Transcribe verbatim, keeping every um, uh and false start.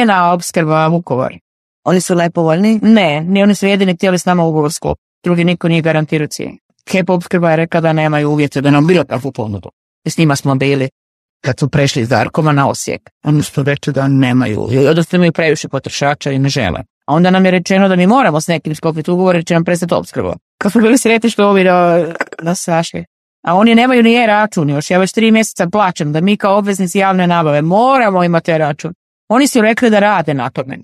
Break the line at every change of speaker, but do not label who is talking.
Ena opskrba Vukovar.
Oni su najpovoljniji?
Ne, ni oni su jedini htjeli s nama ugovor sklopiti. Drugi niko nije garantirao cijenu. H E P opskrba je rekla da nemaju uvjete da nam bilo takvu ponudu. I s njima smo bili kad su prešli iz Darkoma na Osijek. Oni su rekli da nemaju, odnosno imaju previše potrošača i ne žele. A onda nam je rečeno da mi moramo s nekim sklopiti ugovor jer će nam prestati opskrba. Kad smo bili sretni što ovi da nas sašli. A oni nemaju ni e-račun još. Ja već tri mjeseca plaćam da mi kao obveznici javne nabave moramo imati e-račun. Oni su rekli da rade na tome.